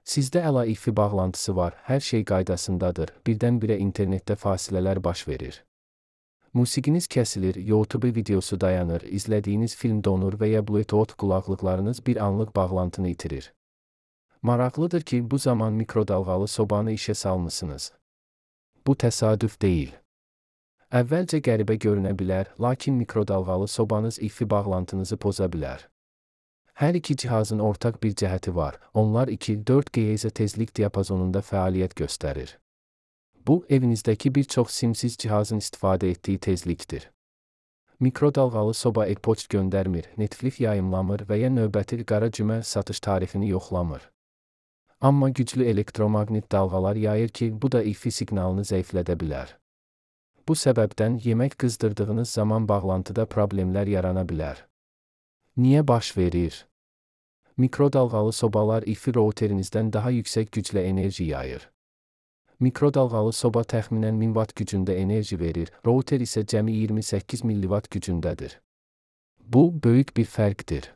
Sizdə əla Wi-Fi bağlantısı var, hər şey qaydasındadır, birdən-birə internetdə fasilələr baş verir. Musiqiniz kəsilir, YouTube videosu dayanır, izlədiyiniz film donur və ya Bluetooth qulaqlıqlarınız bir anlıq bağlantını itirir. Maraqlıdır ki, bu zaman mikrodalğalı sobanı işə salmısınız. Bu təsadüf deyil. Əvvəlcə qəribə görünə bilər, lakin mikrodalğalı sobanız Wi-Fi bağlantınızı poza bilər. Hər iki cihazın ortaq bir cəhəti var, onlar 2-4 GHz tezlik diapazonunda fəaliyyət göstərir. Bu, evinizdəki bir çox simsiz cihazın istifadə etdiyi tezlikdir. Mikrodalğalı soba e-poçt göndərmir, Netflix yayımlamır və ya növbəti qara cümə satış tarixini yoxlamır. Amma güclü elektromaqnit dalğalar yayır ki, bu da Wi-Fi siqnalını zəiflədə bilər. Bu səbəbdən yemək qızdırdığınız zaman bağlantıda problemlər yarana bilər. Niyə baş verir? Mikrodalğalı sobalar Wi-Fi routerinizdən daha yüksək güclə enerji yayır. Mikrodalğalı soba təxminən 1000 watt gücündə enerji verir, router isə cəmi 28 milliwatt gücündədir. Bu, böyük bir fərqdir.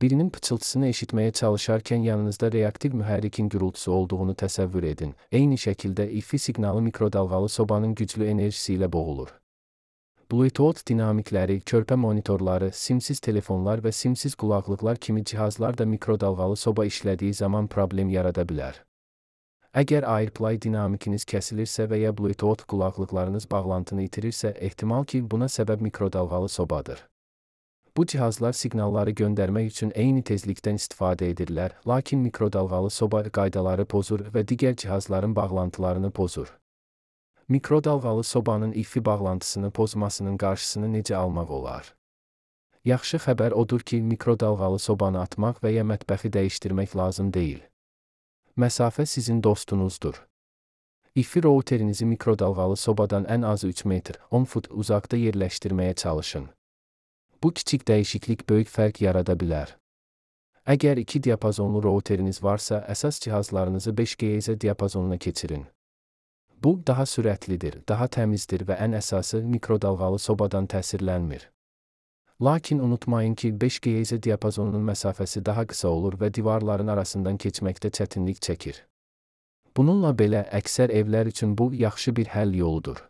Birinin pıçıltısını eşitməyə çalışarkən yanınızda reaktiv mühərrikin gürültüsü olduğunu təsəvvür edin. Eyni şəkildə Wi-Fi siqnalı mikrodalğalı sobanın güclü enerjisi ilə boğulur. Bluetooth dinamikləri, körpə monitorları, simsiz telefonlar və simsiz qulaqlıqlar kimi cihazlar da mikrodalğalı soba işlədiyi zaman problem yarada bilər. Əgər AirPlay dinamikiniz kəsilirsə və ya Bluetooth qulaqlıqlarınız bağlantını itirirsə, ehtimal ki, buna səbəb mikrodalğalı sobadır. Bu cihazlar siqnalları göndərmək üçün eyni tezlikdən istifadə edirlər, lakin mikrodalğalı soba qaydaları pozur və digər cihazların bağlantılarını pozur. Mikrodalğalı sobanın Wi-Fi bağlantısını pozmasının qarşısını necə almaq olar? Yaxşı xəbər odur ki, mikrodalğalı sobanı atmaq və ya mətbəxi dəyişdirmək lazım deyil. Məsafə sizin dostunuzdur. Wi-Fi routerinizi mikrodalğalı sobadan ən azı 3 metr, 10 fut uzaqda yerləşdirməyə çalışın. Bu kiçik dəyişiklik böyük fərq yarada bilər. Əgər 2 diapazonlu routeriniz varsa, əsas cihazlarınızı 5 GHz diapazonuna keçirin. Bu, daha sürətlidir, daha təmizdir və ən əsası mikrodalğalı sobadan təsirlənmir. Lakin unutmayın ki, 5 GHz diapazonunun məsafəsi daha qısa olur və divarların arasından keçməkdə çətinlik çəkir. Bununla belə, əksər evlər üçün bu, yaxşı bir həll yoludur.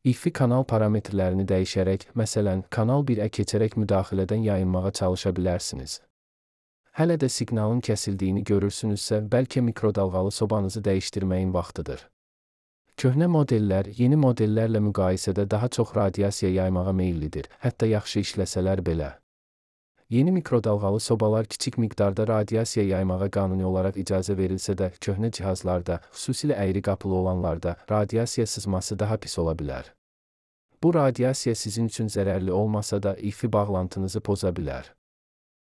Wi-Fi kanal parametrlərini dəyişərək, məsələn, kanal 1-ə keçərək müdaxilədən yayınmağa çalışa bilərsiniz. Hələ də siqnalın kəsildiyini görürsünüzsə, bəlkə mikrodalğalı sobanızı dəyişdirməyin vaxtıdır. Köhnə modellər, yeni modellərlə müqayisədə daha çox radiasiya yaymağa meyillidir, hətta yaxşı işləsələr belə. Yeni mikrodalğalı sobalar kiçik miqdarda radiasiya yaymağa qanuni olaraq icazə verilsə də, köhnə cihazlarda, xüsusilə əyri qapılı olanlarda, radiasiya sızması daha pis ola bilər. Bu radiasiya sizin üçün zərərli olmasa da Wi-Fi bağlantınızı poza bilər.